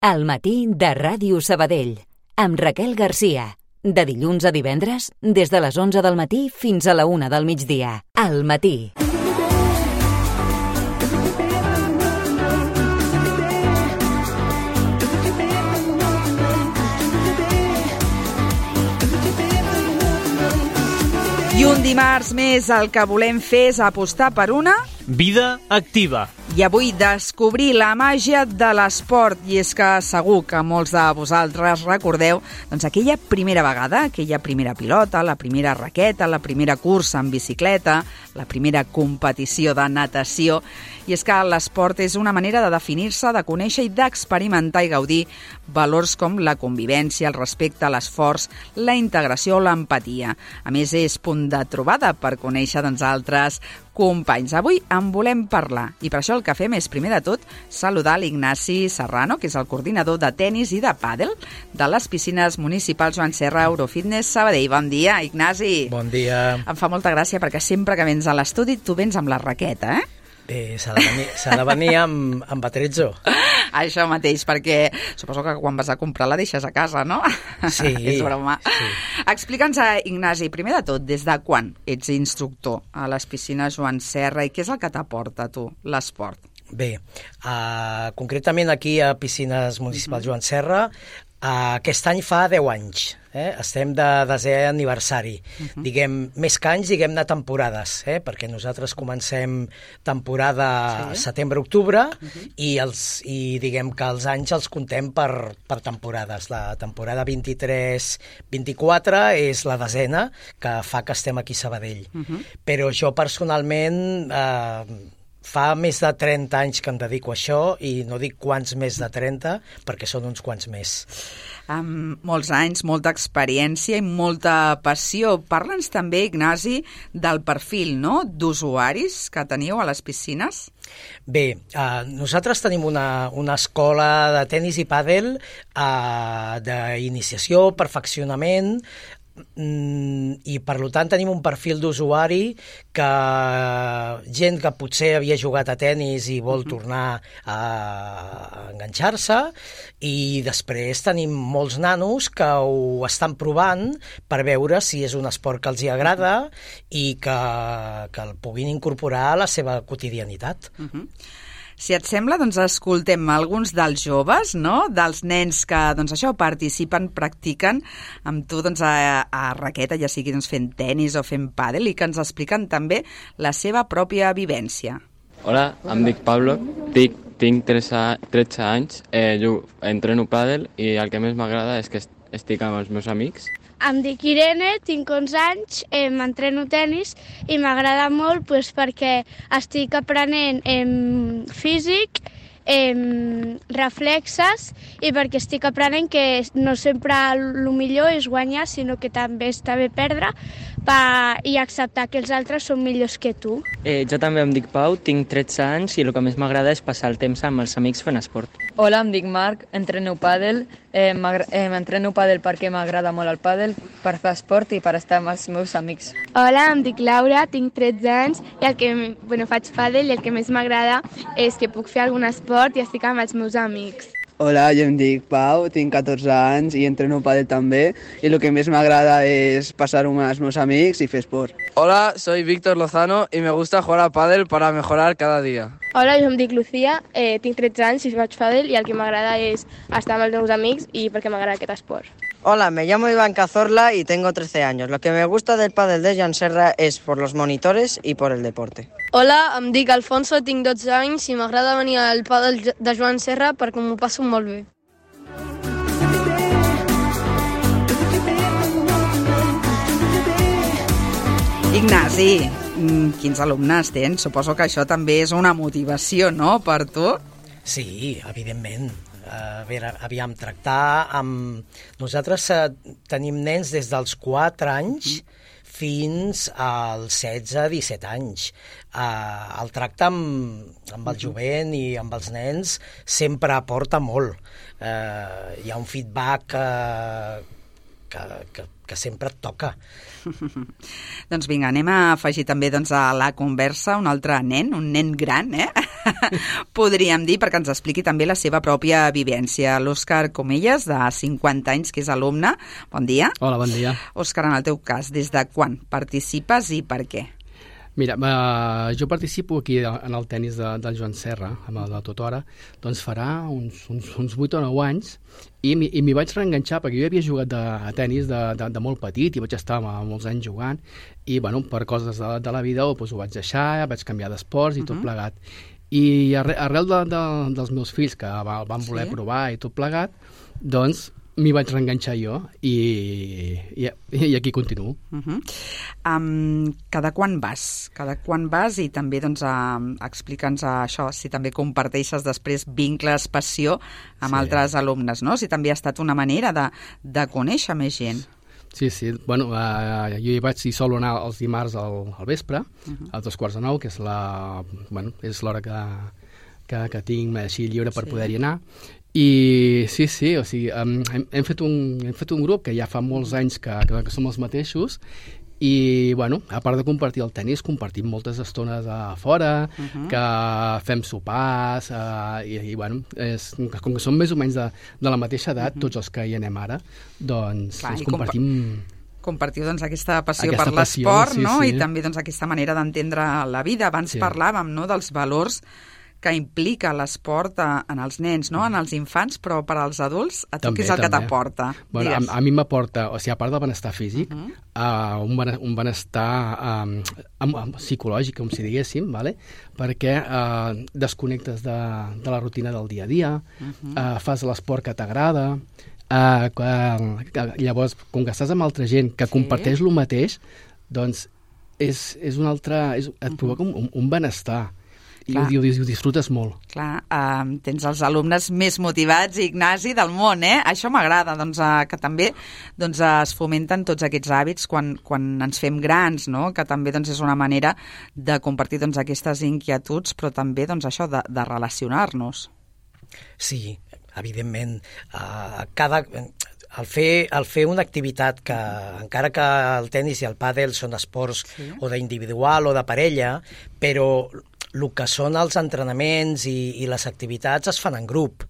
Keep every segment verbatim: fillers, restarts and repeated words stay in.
Al matí de Ràdio Sabadell, amb Raquel Garcia. De dilluns a divendres, des de les onze del matí fins a la una del migdia. Al matí. I un dimarts més el que volem fer és apostar per una... vida activa. I avui descobrir la màgia de l'esport. I és que segur que molts de vosaltres recordeu doncs, aquella primera vegada, aquella primera pilota, la primera raqueta, la primera cursa en bicicleta, la primera competició de natació. I és que l'esport és una manera de definir-se, de conèixer i d'experimentar i gaudir valors com la convivència, el respecte, l'esforç, la integració o l'empatia. A més, és punt de trobada per conèixer doncs, altres companys. Avui en volem parlar i per això el que fem és, primer de tot, saludar l'Ignasi Serrano, que és el coordinador de tenis i de pàdel de les piscines municipals Joan Serra Eurofitness Sabadell. Bon dia, Ignasi. Bon dia. Em fa molta gràcia perquè sempre que vens a l'estudi tu vens amb la raqueta, eh? Eh, s'ha de venir, s'ha de venir amb, amb atrezzo. Això mateix, perquè suposo que quan vas a comprar la deixes a casa, no? Sí. És broma. Sí. Explica'ns, Ignasi, primer de tot, des de quan ets instructor a les piscines Joan Serra i què és el que t'aporta a tu l'esport? Bé, uh, concretament aquí a Piscines Municipals uh-huh. Joan Serra, uh, aquest any fa deu anys. Eh? Estem de desè aniversari. Uh-huh. Diguem, més que anys, diguem-ne temporades, eh? Perquè nosaltres comencem temporada sí. setembre-octubre uh-huh. i, els, i diguem que els anys els contem per, per temporades. La temporada vint-i-tres vint-i-quatre és la desena que fa que estem aquí a Sabadell. Uh-huh. Però jo personalment... Eh, Fa més de trenta anys que em dedico a això i no dic quants més de trenta perquè són uns quants més. Amb molts anys, molta experiència i molta passió. Parla'ns també, Ignasi, del perfil no? d'usuaris que teniu a les piscines. Bé, eh, nosaltres tenim una, una escola de tenis i pàdel eh, d'iniciació, perfeccionament, i per tant tenim un perfil d'usuari que gent que potser havia jugat a tenis i vol uh-huh. tornar a enganxar-se, i després tenim molts nanos que ho estan provant per veure si és un esport que els hi agrada i que, que el puguin incorporar a la seva quotidianitat. Uh-huh. Si et sembla, doncs escoltem alguns dels joves, no? Dels nens que doncs, això participen, practiquen amb tu doncs, a, a raqueta, ja sigui doncs, fent tenis o fent pàdel, i que ens expliquen també la seva pròpia vivència. Hola, em dic Pablo, tinc, tinc tretze anys, eh, jo entreno pàdel i el que més m'agrada és que estic amb els meus amics. Em dic Irene, tinc onze anys, eh, m'entreno tenis i m'agrada molt pues, perquè estic aprenent eh, físic, eh, reflexes i perquè estic aprenent que no sempre el millor és guanyar, sinó que també està bé perdre pa, i acceptar que els altres són millors que tu. Eh, jo també em dic Pau, tinc tretze anys i el que més m'agrada és passar el temps amb els amics fent esport. Hola, em dic Marc, entreno pàdel. Eh, eh, m'entreno pàdel perquè m'agrada molt el pàdel, per fer esport i per estar amb els meus amics. Hola, em dic Laura, tinc tretze anys i el que bueno, faig pàdel i el que més m'agrada és que puc fer algun esport i estic amb els meus amics. Hola, jo em dic Pau, tinc catorze anys i entreno pàdel també i el que més m'agrada és passar-ho amb els meus amics i fer esport. Hola, soy Víctor Lozano y me gusta jugar a pádel para mejorar cada día. Hola, jo em dic Lucía, eh, tinc tretze anys i faig pàdel i el que m'agrada és estar amb els meus amics i perquè m'agrada aquest esport. Hola, me llamo Iván Cazorla y tengo trece años. Lo que me gusta del pádel de Joan Serra es por los monitores y por el deporte. Hola, em dic Alfonso, tinc dotze anys i m'agrada venir al pàdel de Joan Serra perquè m'ho passo molt bé. Ignasi, quins alumnes tens? Suposo que això també és una motivació, no?, per tu? Sí, evidentment. A veure, aviam, tractar amb... Nosaltres uh, tenim nens des dels quatre anys fins als setze disset anys. Uh, el tracte amb, amb el jovent i amb els nens sempre aporta molt. Uh, hi ha un feedback uh, que, que, que sempre et toca. Doncs vinga, anem a afegir també doncs, a la conversa un altre nen, un nen gran, eh? Podríem dir, perquè ens expliqui també la seva pròpia vivència. L'Òscar Comelles, de cinquanta anys, que és alumne. Bon dia. Hola, bon dia. Òscar, en el teu cas, des de quan participes i per què? Mira, uh, jo participo aquí en el tennis de, del Joan Serra, amb el de Totora, doncs farà uns, uns, uns vuit o nou anys, i m'hi vaig reenganxar, perquè jo havia jugat de, a tennis de, de, de molt petit, i vaig estar molts anys jugant, i bueno, per coses de, de la vida doncs, ho vaig deixar, vaig canviar d'esports i tot uh -huh. plegat. I arrel, arrel de, de, dels meus fills, que van voler sí? provar i tot plegat, doncs m'hi vaig reenganxar jo i, i, i aquí continuo. Uh -huh. um, cada quan vas? Cada quan vas i també doncs, uh, explica'ns uh, això, si també comparteixes després vincles, passió amb sí. altres alumnes, no? Si també ha estat una manera de, de conèixer més gent. Sí, sí. Bueno, uh, jo hi vaig hi solo anar els dimarts al, al vespre, uh -huh. a dos quarts de nou, que és la, bueno, és l'hora que, que, que tinc així lliure per sí. poder-hi anar. I sí, sí, o sigui, um, hem, hem, fet un, hem fet un grup que ja fa molts anys que, que, que som els mateixos i, bueno, a part de compartir el tennis, compartim moltes estones a fora, uh -huh. que fem sopars, uh, i, i, bueno, és, com que som més o menys de, de la mateixa edat, uh -huh. tots els que hi anem ara, doncs Clar, ens compartim... Compartiu doncs, aquesta passió aquesta per l'esport, sí, no? sí. I també doncs, aquesta manera d'entendre la vida. Abans sí. parlàvem, no?, dels valors que implica l'esport en els nens, no? En els infants, però per als adults, a tu també, què és el també. que t'aporta? Bueno, a, a mi m'aporta, o sigui, a part del benestar físic, uh -huh. uh, un, ben, un benestar um, um, um, psicològic, com si diguéssim, vale? Perquè uh, desconnectes de, de la rutina del dia a dia, uh -huh. uh, fas l'esport que t'agrada, uh, uh, llavors, com que estàs amb altra gent que sí. comparteix el mateix, doncs és, és un altre, és, et provoca uh -huh. un, un benestar. I ho, ho, ho disfrutes molt. Clar, uh, tens els alumnes més motivats, Ignasi, del món, eh? Això m'agrada, doncs, uh, que també doncs, uh, es fomenten tots aquests hàbits quan, quan ens fem grans, no? Que també doncs, és una manera de compartir doncs, aquestes inquietuds, però també doncs, això de, de relacionar-nos. Sí, evidentment. Uh, cada... El fer, el fer una activitat que, encara que el tennis i el pàdel són esports sí. o d'individual o de parella, però el que són els entrenaments i, i les activitats es fan en grup.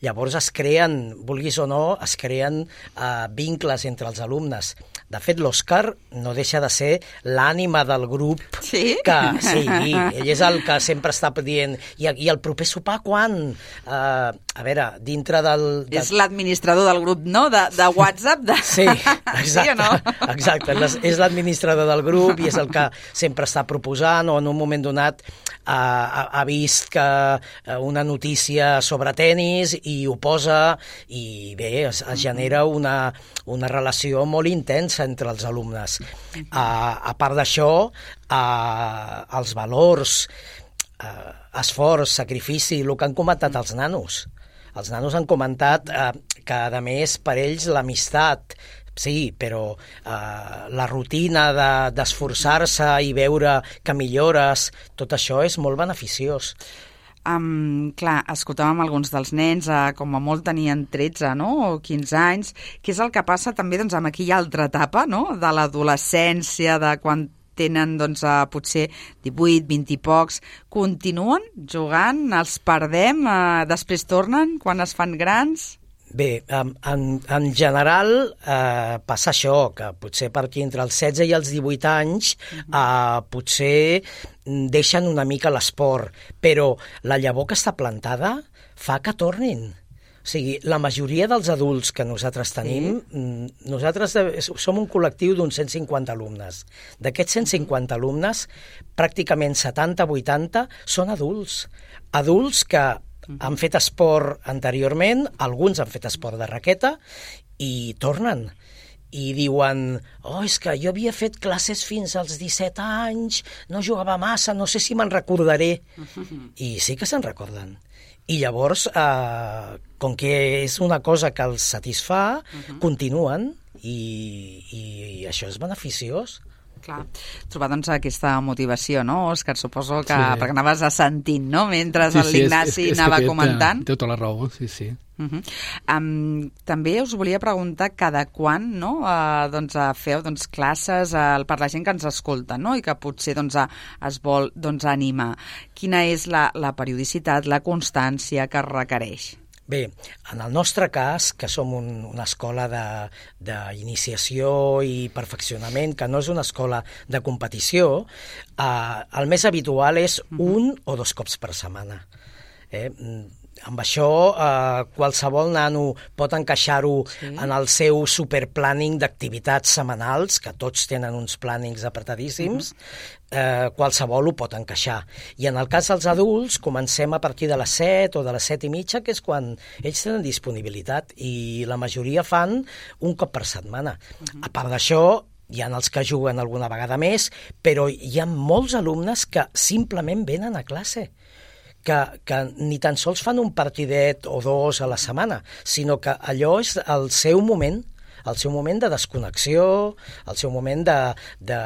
Llavors es creen, vulguis o no, es creen uh, vincles entre els alumnes. De fet, l'Òscar no deixa de ser l'ànima del grup. Sí? Que, sí, ell és el que sempre està dient i, i el proper sopar quan? Uh, a veure, dintre del... De... És l'administrador del grup, no? De, de WhatsApp? De... Sí, exacte. Sí o no? Exacte, és l'administrador del grup i és el que sempre està proposant o en un moment donat uh, ha, ha vist que una notícia sobre tennis i ho posa i bé, es, es genera una, una relació molt intensa entre els alumnes. Uh, a part d'això, uh, els valors, uh, esforç, sacrifici, el que han comentat els nanos. Els nanos han comentat uh, que, a més, per ells l'amistat, sí, però uh, la rutina de, d'esforçar-se i veure que millores, tot això és molt beneficiós. Um, clar, escoltàvem alguns dels nens, uh, com a molt tenien tretze, no?, o quinze anys. Què és el que passa també doncs, amb aquella altra etapa, no?, de l'adolescència, de quan tenen doncs, uh, potser divuit, vint i pocs. Continuen jugant, els perdem, uh, després tornen quan es fan grans? Bé, en, en general eh, passa això, que potser per aquí entre els setze i els divuit anys eh, potser deixen una mica l'esport, però la llavor que està plantada fa que tornin. O sigui, la majoria dels adults que nosaltres tenim, sí. nosaltres som un col·lectiu d'uns cent cinquanta alumnes. D'aquests cent cinquanta alumnes, pràcticament setanta a vuitanta són adults. Adults que han fet esport anteriorment, alguns han fet esport de raqueta i tornen i diuen, oh, és que jo havia fet classes fins als disset anys, no jugava massa, no sé si me'n recordaré. I sí que se'n recorden. I llavors, eh, com que és una cosa que els satisfà, uh-huh. continuen i, i això és beneficiós. Clar, trobar doncs aquesta motivació, no, Òscar? Suposo que, Sí. perquè anaves assentint, no?, mentre Sí, sí, l'Ignasi és- és- és anava que té- comentant. Té tota la raó, sí, sí. Uh -huh. um, també us volia preguntar cada quan, no?, uh, doncs, uh, feu doncs, classes uh, per la gent que ens escolta, no?, i que potser doncs, uh, es vol doncs, animar. Quina és la, la periodicitat, la constància que es requereix? Bé, en el nostre cas, que som un, una escola d'iniciació i perfeccionament, que no és una escola de competició, eh, el més habitual és un o dos cops per setmana. Eh? Amb això, eh, qualsevol nano pot encaixar-ho sí. en el seu superplàning d'activitats setmanals, que tots tenen uns plànings apretadíssims, uh-huh. eh, qualsevol ho pot encaixar. I en el cas dels adults, comencem a partir de les set o de les set i mitja, que és quan ells tenen disponibilitat, i la majoria fan un cop per setmana. Uh-huh. A part d'això, hi ha els que juguen alguna vegada més, però hi ha molts alumnes que simplement venen a classe. Que, que ni tan sols fan un partidet o dos a la setmana, sinó que allò és el seu moment, el seu moment de desconnexió, el seu moment de, de,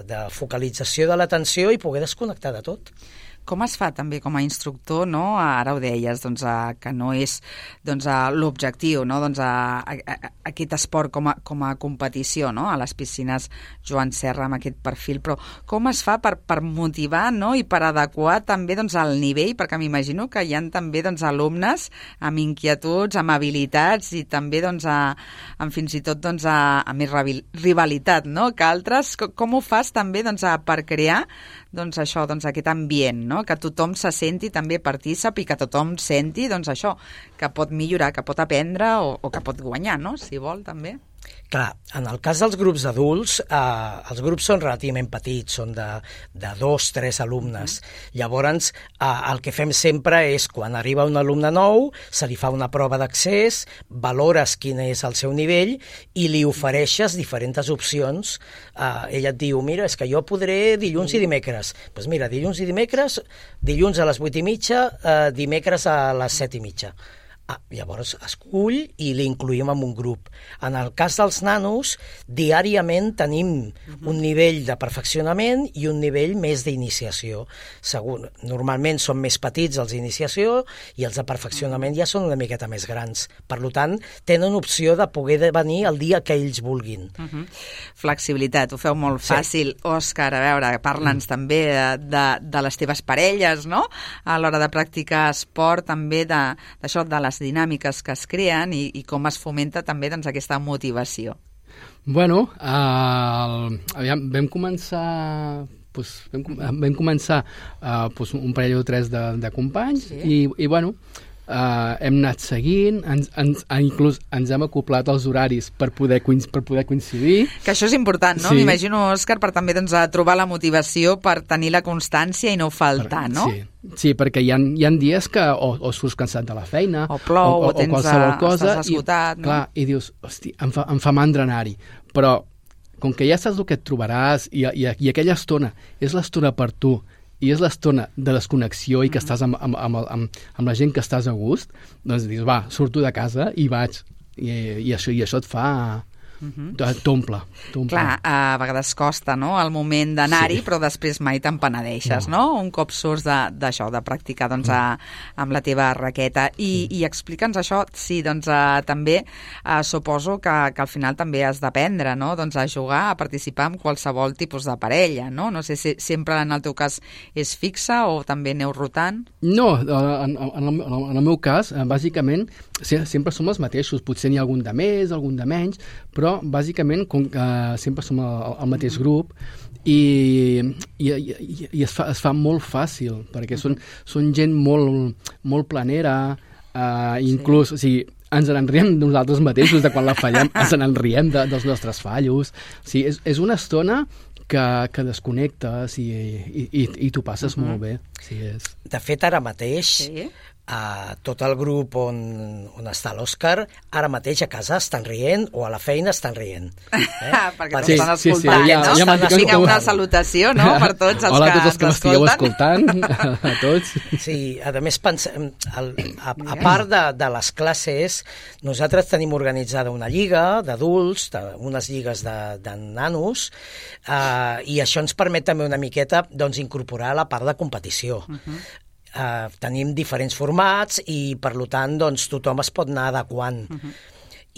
de focalització de l'atenció i poder desconnectar de tot. Com es fa també com a instructor, no? Ara ho deies, doncs, a, que no és doncs, l'objectiu, no? Doncs, a, a, a, aquest esport com a, com a competició, no? A les piscines Joan Serra amb aquest perfil, però com es fa per, per motivar, no? I per adequar també doncs, el nivell, perquè m'imagino que hi ha també doncs, alumnes amb inquietuds, amb habilitats i també doncs, a, amb fins i tot doncs, a, a més rivalitat, no? Que altres. Com, com ho fas també doncs, a, per crear doncs això, doncs aquest ambient, no? Que tothom se senti també partícip i que tothom senti, doncs això, que pot millorar, que pot aprendre o, o que pot guanyar, no? Si vol, també. Clar, en el cas dels grups d'adults, eh, els grups són relativament petits, són de, de dos, tres alumnes. Mm. Llavors, eh, el que fem sempre és, quan arriba un alumne nou, se li fa una prova d'accés, valores quin és el seu nivell i li ofereixes diferents opcions. Eh, ella et diu, mira, és que jo podré dilluns i dimecres. Doncs pues mira, dilluns i dimecres, dilluns a les vuit i mitja, eh, dimecres a les set i mitja. Ah, llavors escull i l'incluïm en un grup. En el cas dels nanos, diàriament tenim un nivell de perfeccionament i un nivell més d'iniciació. Segur, normalment són més petits els d'iniciació i els de perfeccionament ja són una miqueta més grans. Per tant, tenen opció de poder venir el dia que ells vulguin. Uh -huh. Flexibilitat, ho feu molt fàcil. Sí. Òscar, a veure, parla'ns mm. també de, de, de les teves parelles, no? A l'hora de practicar esport, també d'això, de, de les dinàmiques que es creen i, i com es fomenta també doncs, aquesta motivació. Bueno, uh, aviam, vam començar... Pues, vam, vam començar uh, pues, un parell o tres de, de companys sí. i, i bueno, uh, hem anat seguint, ens, ens, inclús ens hem acoplat als horaris per poder, per poder coincidir. Que això és important, no? Sí. M'imagino, Òscar, per també doncs, a trobar la motivació per tenir la constància i no faltar, no? Sí. Sí, perquè hi ha, hi ha dies que o, o surts cansat de la feina o plou, o, o, o qualsevol a, cosa estàs esgotat, i, no? clar, i dius, hosti, em fa, em fa mandra anar-hi, però com que ja saps el que et trobaràs i, i, i aquella estona és l'estona per tu i és l'estona de desconnexió i que mm-hmm. estàs amb, amb, amb, amb, amb la gent que estàs a gust, doncs dius, va, surto de casa i vaig, i, i, això, i això et fa... Uh-huh. T'omple, t'omple. Clar, a vegades costa, no?, el moment d'anar-hi, sí. però després mai te'n penedeixes, no. no? Un cop surts d'això, de, de practicar doncs, a, amb la teva raqueta. I, i explica'ns això, sí, doncs a, també a, suposo que, que al final també has d'aprendre, no?, doncs a jugar, a participar en qualsevol tipus de parella, no? No sé si sempre en el teu cas és fixa o també aneu rotant? No, en, en, el, en el meu cas, bàsicament, sempre som els mateixos, potser n'hi ha algun de més, algun de menys, però bàsicament com que sempre som el, el mateix grup i, i, i, i es, fa, es fa molt fàcil perquè són, són gent molt, molt planera, uh, inclús, sí. o sigui, ens n'enriem de nosaltres mateixos, de quan la fallem, ens n'enriem de, dels nostres fallos. O sigui, és, és una estona que, que desconnectes i, i, i, i t'ho passes uh-huh. molt bé. Sí, és... De fet, ara mateix... Sí. Uh, tot el grup on, on està l'Òscar, ara mateix a casa estan rient o a la feina estan rient. Eh? Perquè sí, estan escoltant, sí, sí, ja, no? Ja Vinga, com... una salutació, no?, per tots els Hola que a tots els que m'estigueu escoltant, a tots. Sí, a més, pensem, el, a, a part de, de les classes, nosaltres tenim organitzada una lliga d'adults, unes lligues de, de nanos, uh, i això ens permet també una miqueta doncs, incorporar la part de competició. Uh-huh. Uh, tenim diferents formats i, per tant, doncs, tothom es pot anar adequant. Uh-huh.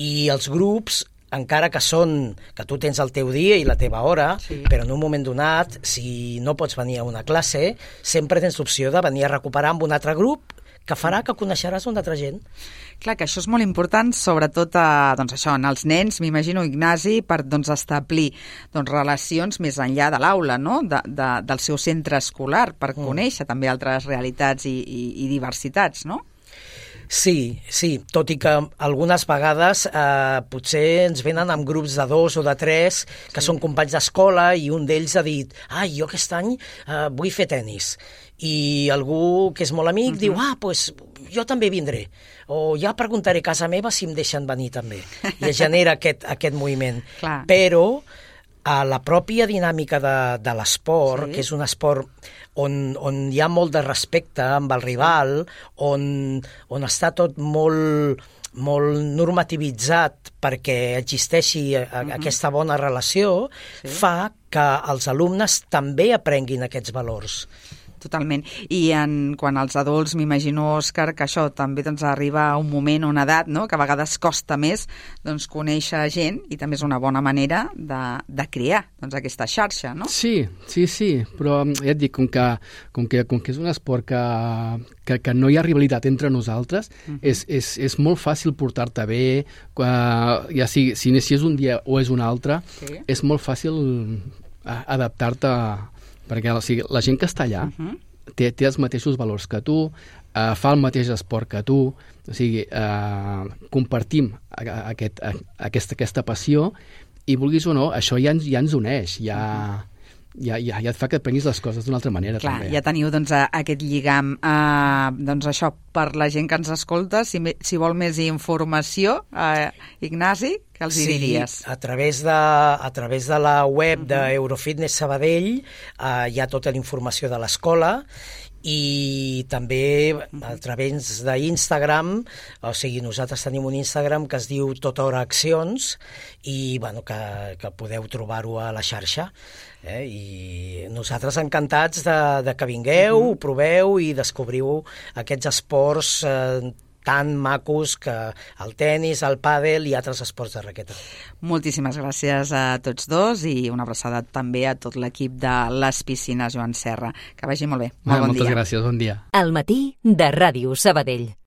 I els grups, encara que són que tu tens el teu dia i la teva hora, sí. però en un moment donat, si no pots venir a una classe, sempre tens l'opció de venir a recuperar amb un altre grup que farà que coneixeràs una altra gent. Clar, que això és molt important, sobretot a, doncs això, en els nens, m'imagino, Ignasi, per doncs, establir doncs, relacions més enllà de l'aula, no?, de, de, del seu centre escolar, per mm. conèixer també altres realitats i, i, i diversitats, no? Sí, sí, tot i que algunes vegades eh, potser ens venen amb grups de dos o de tres que sí. són companys d'escola i un d'ells ha dit ah, jo aquest any eh, vull fer tennis. I algú que és molt amic uh-huh. diu, ah, doncs pues, jo també vindré. O ja preguntaré a casa meva si em deixen venir també. I es genera aquest, aquest moviment. Clar. Però a la pròpia dinàmica de, de l'esport, sí. que és un esport on, on hi ha molt de respecte amb el rival, on, on està tot molt, molt normativitzat perquè existeixi a, a, uh-huh. aquesta bona relació, sí. fa que els alumnes també aprenguin aquests valors. Totalment. I en, quan als adults, m'imagino, Òscar, que això també doncs, arriba a un moment o una edat, no?, que a vegades costa més doncs, conèixer gent i també és una bona manera de, de crear doncs, aquesta xarxa, no? Sí, sí, sí, però ja et dic, com que, com que, com que és un esport que, que, que no hi ha rivalitat entre nosaltres, uh-huh. és, és, és molt fàcil portar-te bé, uh, ja sigui, si, si és un dia o és un altre, sí. és molt fàcil adaptar-te a perquè o sigui, la gent que està allà uh-huh. té, té els mateixos valors que tu, eh, fa el mateix esport que tu, o sigui, eh, compartim aquest, aquesta, aquesta passió i vulguis o no, això ja ens, ja ens uneix, ja, ja, ja, ja et fa que et prenguis les coses d'una altra manera. Clar, també. Ja teniu doncs, aquest lligam. Uh, doncs això, per la gent que ens escolta, si, si vol més informació, uh, Ignasi, què els sí, hi diries? A través de, a través de la web uh-huh. d'Eurofitness Sabadell uh, hi ha tota la informació de l'escola i també a través d'Instagram, o sigui, nosaltres tenim un Instagram que es diu Tota Hora Accions i bueno, que, que podeu trobar-ho a la xarxa. Eh? I nosaltres encantats de, de que vingueu, uh-huh. ho proveu i descobriu aquests esports eh, tan macos que el tenis, el pàdel i altres esports de raqueta. Moltíssimes gràcies a tots dos i una abraçada també a tot l'equip de les piscines Joan Serra. Que vagi molt bé. Molt ah, bon moltes dia. Gràcies, bon dia. Al matí de Ràdio Sabadell.